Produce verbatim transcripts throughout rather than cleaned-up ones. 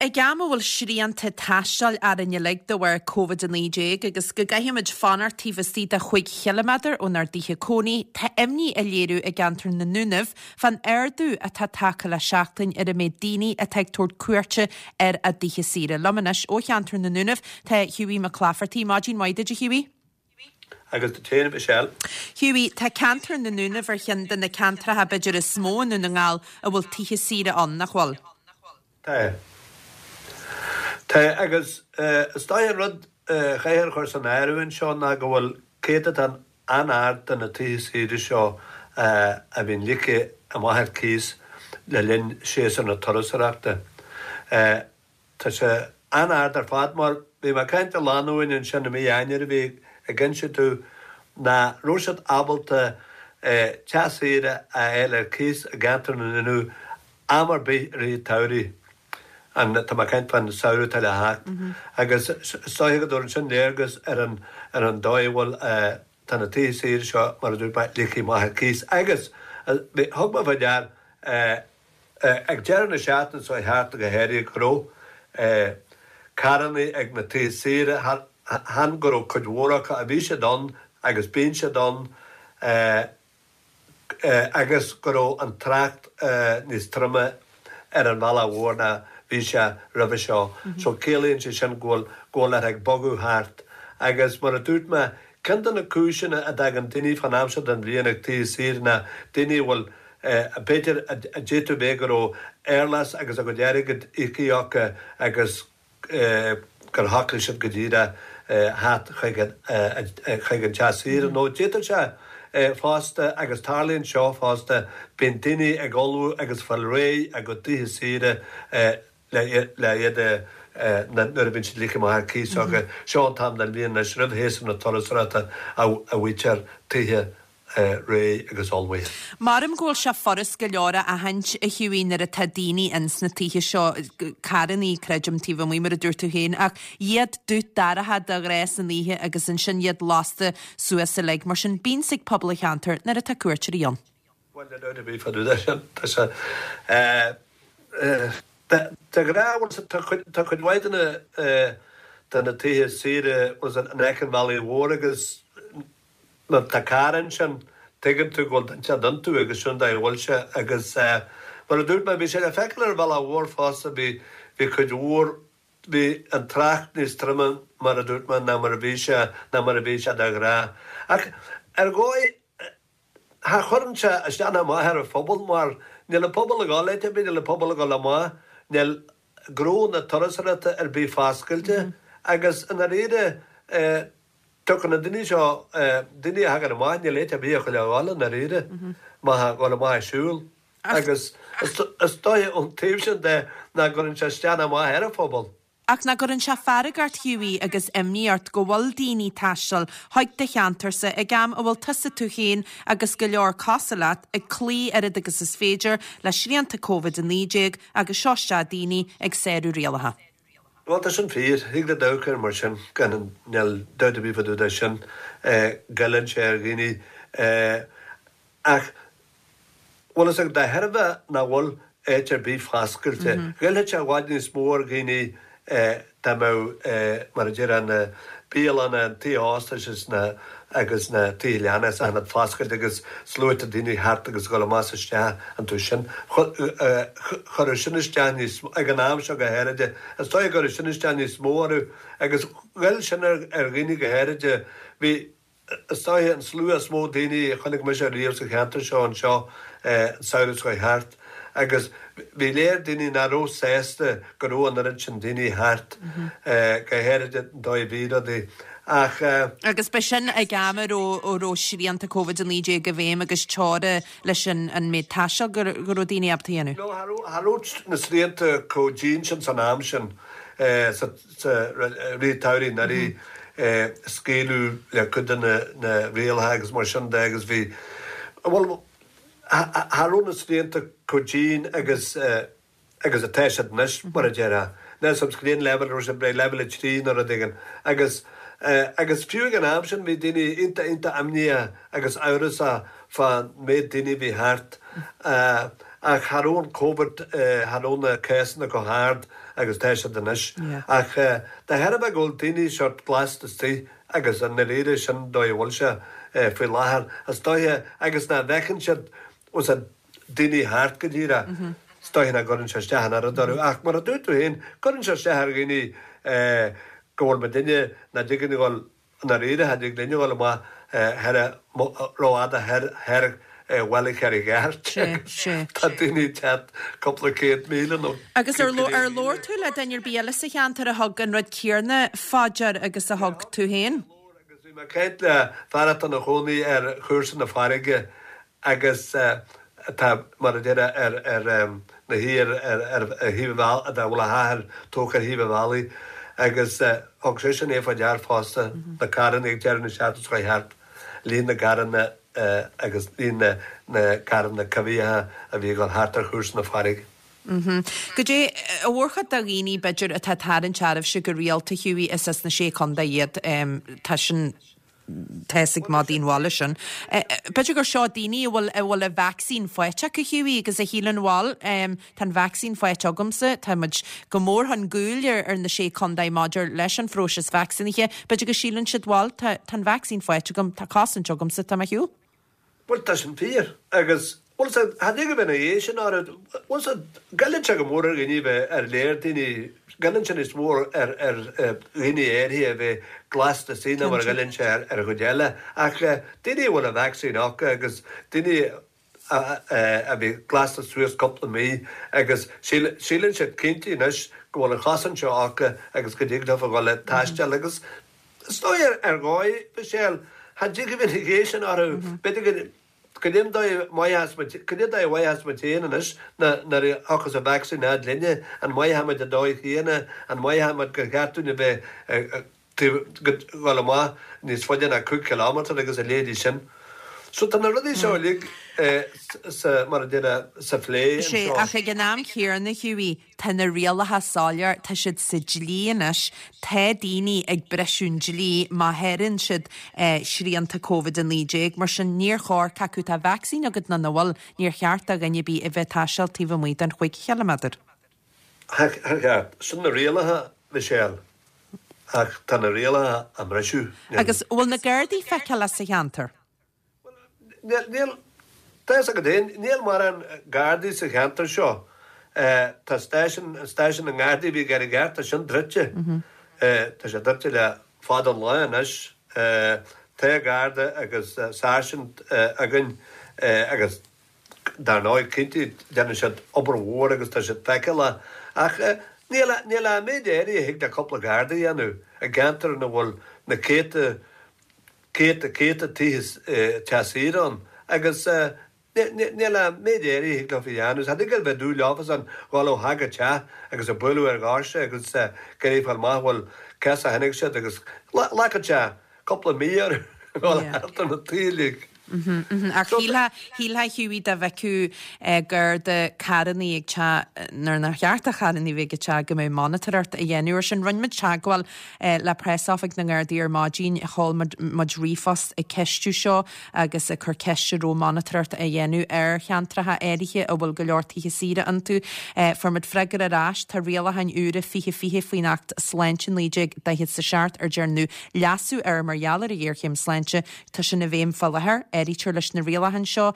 Ag am a bhfuil srianta taistil orainn uilig de bharr Covid a naoi déag agus go gcaithfimid fanacht taobh istigh de chúig chiliméadar ónár dtithe cónaí, tá imní á léiriú i gceantar na nDúnaibh fán ardú atá tagtha le seachtain ar an méid daoine atá ag tabhairt cuairte ar a dtithe saoire. Liom anois ó cheantar na nDúnaibh tá Hughie Mac Laifeartaigh. Maidin mhaith duit, a Hughie. Agus duit féin, a Mhichelle. Hughie, tá ceantar na nDúnaibh ar cheann de na ceantracha b'fhéidir is mó i nDún na nGall a bhfuil tithe saoire ann, nach bhfuil? Tá. Tá, agus is dóigh an rud a chaithfear a chur san áireamh anseo ná go bhfuil céatadán an-ard de na tithe saoire seo a bhíonn ligthe amach ar cíos le linn séasúr na turasóireachta. Tá sé an-ard ar fad mar bhí mé ag caint le lánúin ansin i mí Eanáir a bhí ag inse domh nach raibh siad ábalta teach saoire a fháil ar cíos i gceantar na nDúnaibh am ar bith i rith an tsamhraidh. An, tá mé ag caint fán samhradh atá le theacht. Agus is dóiche go dtabharann sin léargas ar an, ar an dóigh a bhfuil, tá na tithe saoire seo, mar a dúirt mé, ligthe amach ar cíos. Agus, bhí, thug mé fá dear, ag deireadh na seachtaine seo thart go háirithe go raibh carrannaí ag na tithe saoire, chan go raibh cuid mhór acu, ach bhí siad ann agus bíonn siad ann, agus go raibh an trácht níos troime ar an bhealach mhór ná bhí sé roimhe seo. So ciallaíonn sé sin go bhfuil, go bhfuil ort ag bogadh thart. Agus mar a dúirt mé, ceann de na cúiseanna a dtagann daoine fán am seo den bhliain ag tithe saoire ná daoine a bhfuil, b'fhéidir, a d'fhéadfadh bheith go raibh airleas agus a gcuid airgid íoctha acu agus gur shocraigh siad go díreach theacht chuig an chuig an teach saoire nó d'fhéadfadh sé fosta, agus tarlaíonn seo fosta, bíonn daoine ag ullmhú agus fáil réidh a gcuid tithe saoire le le iad a nuair a bhíonn siad ligthe amach ar cíos acu. Seo an t-am den bhliain anois roimh shéasúr na turasóireachta a bhfaightear tithe réidh agus ullmhaithe. Maram go bhfuil sé furast go leor a aithint, a Hughie, nuair atá daoine ins na tithe seo, carrannaí, creidim, taobh amuigh, mar a dúirt tú féin, ach iad dubh dorcha de ghnáth san oíche agus ansin iad lasta suas uilig. Mar sin, bíonn 's ag pobal an cheantair nuair atá cuairteoirí ann. Bhuel, níl dabht ar bith fá dtaobh de sin. Tá sé, de ghnáth, bhuel, tá cuid, tá cuid mhaith de na, de na tithe saoire, bhuel, in aice an bhealaigh mhóir agus, Má tá carr ansin, tuigeann tú go bhfuil duine inteacht iontu agus sin an dóigh a bhfuil sé. Agus mar a dúirt mé, bhí sé le feiceáil ar an bhealach mhór fosta, bhí, bhí cuid mhór, bhí an trácht níos troime, mar a dúirt mé, ná mar a bhí sé, ná mar a bhí sé de ghnáth. Ach ar dhóigh, cha chuireann sé isteach ná amach ar an phobal mar níl an pobal ag dul áit ar bith, níl an pobal ag dul amach, níl gnó na turasóireachta ar bith foscailte agus i ndáiríre, Tiocfaidh na daoine seo, daoine a thagann amach, níl áit ar bith acu le dhul i ndáiríre, má thá dhul amach ag siúl. Agus is dóiche ón taobh sin de nach gcuireann sé isteach ná amach ar an phobal. Ach nach gcuireann sé fearg ort, Hughie, agus imní ort go bhfuil daoine ag taisteal chuig do cheantarsa ag am a bhfuil tusa tú féin agus go leor cosúil leat ag cloí oiread agus is féidir le srianta Covid a naoi déag agus seo isteach daoine ag sárú rialacha. Bhuel, tá sin fíor. Thig leat amharc air mar sin, gan níl dabht ar bith fá dtaobh de sin. Goilleann sé ar dhaoine. Ach, bhfuil fhios agat, de thairbhe nach bhfuil áit ar bith foscailte, ghoillfeadh sé i bhfad níos mó ar dhaoine dá mbeadh, mar a déarfá, na bialanna, an tithe óstais is na agus na tithe leanna is achan rud foscailte agus sluaite daoine thart agus ag dul amach is isteach iontu sin. Chuirfeadh sin isteach níos, ag an am seo go háirithe, is dóigh go gcuirfeadh sin isteach níos mó orthu agus ghoill sin ar dhaoine go háirithe. Bhí, is dóigh, an slua is mó daoine a chonaic mise riamh sa cheantar seo anseo an samhradh seo chuaigh thart agus bhí léir daoine nach raibh sásta go raibh an oiread sin daoine thart, go háirithe an dóigh a bhí rudaí. Ach. Agus b'shin ag am a raibh a raibh srianta Covid a naoi déag i bhfeidhm agus teora leis an an méid taistil go raibh daoine ábalta a dhéanamh. No, cha raibh, cha raibh na srianta chomh dian sin san am sin, sa sa rith an tsamhraidh anuraidh, scaoileadh le cuid de na na rialacha agus mar sin de agus bhí, bhuel, cha raibh na srianta chomh dian agus agus atá siad anois, mar a déarfá. Níl 's a'm cén leibhéal a raibh siad, b'fhéidir leibhéal a trí nó rud éigin. Agus, agus fiú ag an am sin bhí daoine iontach, iontach imníoch agus amhrasach fán méid daoine a bhí thart. Ach cha raibh an Covid, cha raibh na cásanna chomh hard agus tá siad anois. Ach de thairbhe go bhfuil daoine sórt glasta istigh agus i ndáiríre sin an dóigh a bhfuil sé faoi láthair, is dóiche, agus nach bhfeiceann siad daoine thart go díreach, is dóiche nach gcuireann sé isteach an oiread orthu. Ach mar a dúirt tú féin, cuireann sé isteach ar dhaoine go bhfuil muidinne, nach dtig linn a dhul I ndáiríre, cha dtig linn a dhul amach thoir rófhada thoir thoir Bhaile Charraig Airt agus tá daoine ag teacht cúpla céad míle nó Agus ar ar labhair tú le duine ar bith eile sa cheantar a thug an rud céanna fá dear agus a thug tú féin? Labhair agus bhí mé ag caint le fear atá ina chónaí ar chúrsa na farraige agus atá, mar a déarfá, ar ar na thithe ar ar thaobh an bhealaigh, a bhfuil a theach tógtha ar thaobh an bhealaigh agus thug seisean é fá dear fosta, na carranna ag deireadh na seachtaine seo chuaigh thart, líon na gcarranna agus líon na na carranna coimhthíocha a bhí ag dul thart ar chúrsa na farraige. Goidé an mhórchuid de dhaoine, b'fhéidir, atá ag tarraingt oraibhse go rialta, Hughie, is as na Sé Chontae iad, tá sin tá fhios ag madaí an bhaile sin. B'fhéidir gur seo daoine a bhfuil a bhfuil an vacsaín faighte acu, Hughie, agus a shíleann bhal, tá an vacsaín faighte agamsa, tá muid go mór chun cúil ar ar na Sé Chontae maidir leis an phróiseas vacsaínithe, b'fhéidir go síleann siad bhal, tá tá an vacsaín faighte agam, tá cosaint agamsa, tá mé ar shiúl. Bhuel, tá sin fíor agus bhuel sea, cha dtig a bheith ina dhiaidh sin orthu, bhuel sea, goilleann sé go mór ar dhaoine bheith ar léir daoine, goilleann sé níos mó ar ar dhaoine áirithe a bheith glasta istigh ná mar a ghoilleann sé ar ar an gcuid eile ach daoine a bhfuil an vacsaín acu agus daoine a a bhí glasta suas cúpla mí agus síleann siad cinnte anois go bhfuil an chosaint seo acu agus go dtig leofa dhul ag taisteal agus Is dóigh ar dhóigh, Michelle, cha dtig a bheith ina dhiaidh sin orthu. B'fhéidir go cad é an dóigh a mhaithfeas muid, cad é an dóigh a mhaithfeas muid féin anois nuair a thiocfas an vacsaín fhad linne, an maithfidh muid an dóigh chéanna, an maithfidh muid gur cheart dúinn a bheith ag dul amach níos faide ná cúig chileámeter agus a leithéidí sin. So tá na rudaí seo uilig sa, mar a déarfá, sa phlé Sea, anseo. ach ag an am chéanna, Hughie, tá na rialacha soiléir, tá siad sa dlí anois, tá daoine ag briseadh an dlí má sháraíonn siad srianta Covid a naoi déag, mar sin níor chóir, cé acu tá vacsaín agat nó nach bhfuil, níor cheart do dhuine ar bith a bheith ag taisteal taobh amuigh den chúig chiliméadar. Thar cheart. Sin na rialacha, Michelle. Ach tá na rialacha á mbriseadh. Agus an bhfuil na Gardaí feiceálach sa cheantar? Bhuel, níl, tá fhios agat féin, níl mórán Gardaí sa cheantar seo. Tá stáisiún, stáisiún na nGardaí a bhí i gCarraig Airt, tá sin druidte. Tá sé druidte le fada an lá anois. Tá Garda agus sáirsint againn agus dar ndóigh, cinnte, déanann siad obair mhór agus tá siad feiceálach. Ach níl, níl an méid áirithe a thig le cúpla Garda a dhéanamh i gceantar ina bhfuil na céadta, céadta, céadta tithe teach saoire ann agus níl an méid áirithe a thig leofa a dhéanamh. Cha dtig a bheith dúil leofasan dhul ó theach go teach agus ag bualadh ar dhoirse agus ag iarraidh fáil amach bhfuil cá as a tháinig siad agus ghlacfadh sé cúpla mí orthu dhul thart ar na tithe uilig. Ach shílfeá, shílfeá Hughie dá bhfeicfeadh Garda carrannaí ag teacht, nuair nár cheart do charrannaí bheith ag teacht go mbeadh monatóireacht á dhéanamh air sin. Rinne muid teagmháil le preasoifig na nGardaí ar maidin, sheol muid ríomhphost ag ceistiú seo agus ag cur ceiste an raibh monatóireacht á dhéanamh ar cheantracha áirithe a bhfuil go leor tithe saoire iontu. Fuair muid freagra ar ais, tá rialacháin úra fiche fiche faoin Acht Sláinte naoi déag daichead is a seacht ar dearnadh leasú air mar gheall ar an ghéarchéim sláinte, Tá sin i bhfeidhm fá láthair. Áirítear leis na rialacháin seo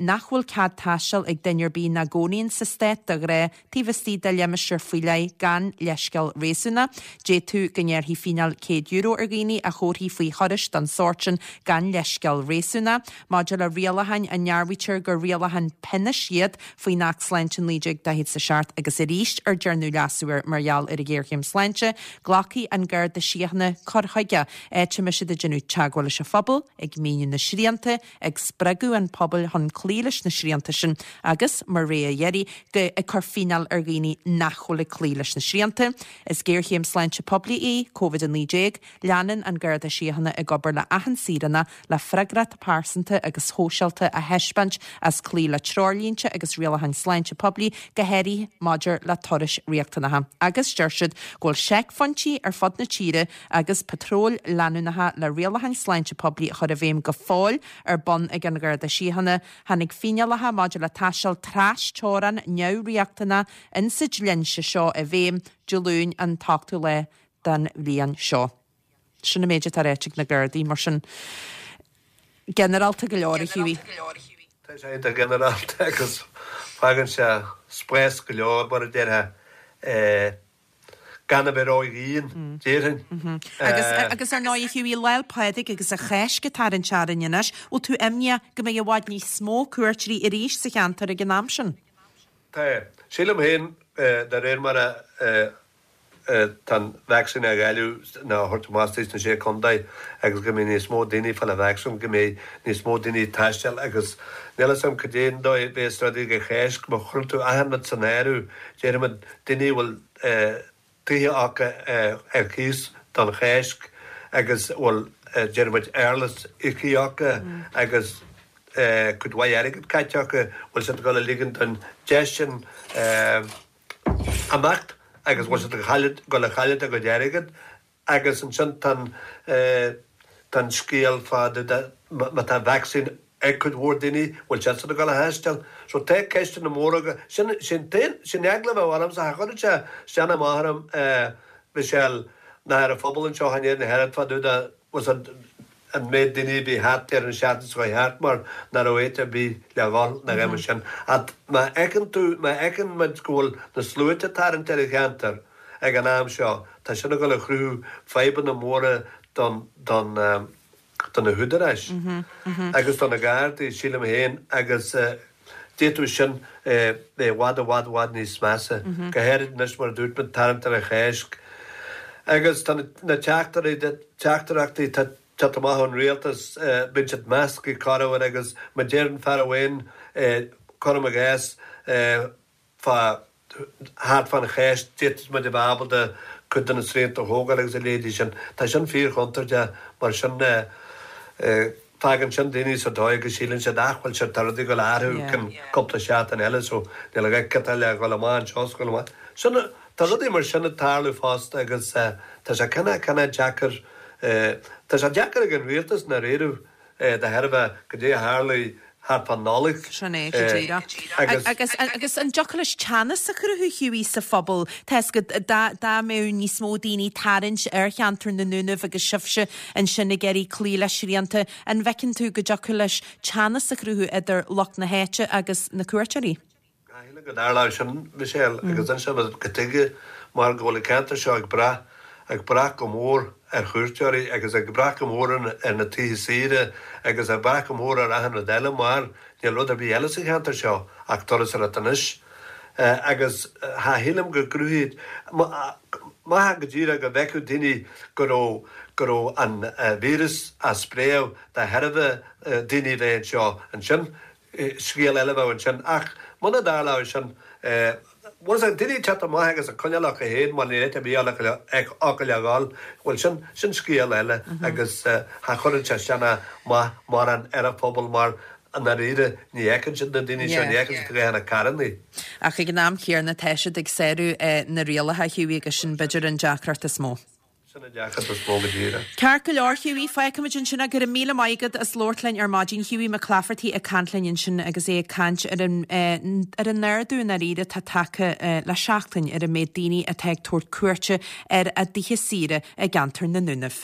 nach bhfuil cead taistil ag duine ar bith nach gcónaíonn sa stát de ghnáth taobh istigh de limistéar faoi leith gan leithscéal réasúnach. D'fhéadfadh go ngearrfaí fíneáil céad euro ar dhaoine a thabharfaí faoi thurais den sórt sin gan leithscéal réasúnach. Maidir le rialacháin a ndearbhaítear gur rialacháin pionóis iad faoin Acht Sláinte naoi déag daichead is a seacht agus arís ar dearnadh leasú air mar gheall ar an ghéarchéim sláinte, glacfaidh an Garda Síochána cur chuige áit a mbeidh siad ag déanamh teagmháil leis an phobal, ag míniú na srianta, ag spreagadh an phobail chun cloí leis na srianta sin agus, mar rogha dheiridh, go ag cur fíneáil ar dhaoine nach bhfuil ag cloí leis na srianta. Is géarchéim sláinte poiblí í Covid a naoi déag. Leanann an Garda Síochána ag obair le achan saoránach le freagracht pearsanta agus shóisialta a thaispeáint as cloí le treoirlínte agus rialacháin sláinte poiblí, go háirithe maidir le turais riachtanacha. Agus deir siad go bhfuil seicphointí ar fud na tíre agus patróil leanúnacha le rialacháin sláinte poiblí a chur i bhfeidhm go fóill ar bun ag an Gharda Síochána. Tháinig fíneálacha maidir le taisteal trasteorann neamhriachtanach insa dlínse seo i bhfeidhm Dé Luain an t-ochtú lá den bhliain seo. Sin an méid atá ráite ag na Gardaí mar sin ginearálta go leor a Hughie. Tá sé iontach ginearálta agus fágann sé spás go leor mar a déarfá gan a bheith ródhian, déarfainn. Agus agus ar ndóigh a Hughie, Lá 'le Pádraig agus an Cháisc ag tarraingt orainn anois, bhfuil tú imníoch go mbeidh i bhfad níos mó cuairteoirí arís sa cheantar ag an am sin? Tá. Sílim féin, de réir mar a tá an vacsaín á dháileadh nó á thabhairt amach sna Sé Chontae agus go mbeidh níos mó daoine ag fáil an vacsaín, go mbeidh níos mó daoine ag taisteal agus níl 'fhios a'm cad é an dóigh a bheas rudaí ag an Cháisc, má chuireann tú achan rud san áireamh, déarfaimid daoine a bhfuil tithe acu ar cíos don Cháisc agus a bhfuil déarfaimid éarlais íoctha acu agus cuid mhaith airgid caite acu, bhfuil siad ag dul a ligean don deis sin imeacht agus bhfuil siad ag dul a chailleadh a gcuid airgid agus ansin tá an tá an scéal fá dtaobh de má tá vacsaín ag cuid mhór daoine, bhfuil siadsan ag dul a thaisteal? So tá ceisteanna móra acu. Sin sin t-aon sin eagla a bheadh ormsa, cha chuireann sé isteach amach orm Michelle ná ar an phobal anseo in Éirinn ach oiread fá dtaobh de was an an méid daoine a bhí thart ar an seachtain seo chuaigh thart mar nach raibh áit ar bith le dhul ná a dhath mar sin. Ach má fheiceann tú, má fheiceann muid go bhfuil na sluaite ag tarraingt ar an cheantar ag an am seo, tá sin ag dul a chruthú fadhbanna móra don, don, do na húdaráis agus do na Gardaí, sílim féin, agus d'fhéadfadh sin bheith i bhfad, i bhfad, i bhfad níos measa, go háirid anois mar a dúirt muid, tarraingt ar an Cháisc. Agus tá na teachtaireachtaí ag teacht amach ón rialtas, bíonn siad measctha corruair agus má deireann fear amháin, cuirim i gcás, fá thart fán Cháisc, d'fhéadfadh muid a bheith ábalta cuid de na srianta a thógáil agus a leithéidí sin. Tá sin fíorchontúirteach mar sin fágann sin daoine sa dóigh go síleann siad ach bhuel sure tá rudaí ag dul a athrú ceann cúpla seachtain eile so níl a dhath ciotail le dhul amach anseo is dhul amach. Sin, tá rudaí mar sin ag tarlú fosta agus tá sé cineál cineál deacair, tá sé deacair ag an rialtas i ndáiríribh de thairbhe goidé a tharlaigh thart fán Nollaig. Sin é, go díreach. Agus agus an dtiocfadh leis teannas a chruthú, Hughie, sa phobal? Tá 'fhios agat, dá dá mbeadh níos mó daoine tarraingt ar cheantar na nDúnaibh agus sibhse ansin ag iarraidh cloí le srianta, an bhfeiceann tú go dtiocfadh leis teannas a chruthú idir lucht na háite agus na cuairteoirí? Shílim go dtarlódh sin, Michelle, agus ansin cad tuige mar go bhfuil an ceantar seo ag brath, ag brath go mór ar chuairteoirí agus ag brath go mór ar na tithe saoire agus ag brath go mór ar achan rud eile mar níl rud ar bith eile sa cheantar seo ach turasóireacht anois. Agus cha shílim go gcruthaíonn, má go díreach go bhfeicfeadh daoine go raibh, go raibh an víreas á spréadh de thairbhe daoine a bheith anseo ansin, Scéal eile a bheadh ansin. Ach muna dtarlódh sin, bhuel, is daoine ag teacht amach agus ag coinneáil acu féin mar níl áit ar bith acu le dhul, bhuel, sin, sin scéal eile agus cha chuireann sé sin amach mórán ar an phobal mar i ndáiríre ní fheiceann siad na daoine seo, ní fheiceann siad go na carrannaí. Ach ag an am chéanna tá siad ag sárú na rialacha, Hughie, agus sin b'fhéidir an deacracht is mó. Sin an deacracht is mó go díreach. Ceart go leor, Hughie, fágfaimid ansin é. Go raibh míle maith agat as labhairt linn ar maidin. Hughie McClafferty ag caint linn ansin agus é ag caint ar an ar an ardú i ndáiríre atá tagtha le seachtain ar an méid daoine atá ag tabhairt cuairte ar a dtithe saoire i gceantar na nDúnaibh.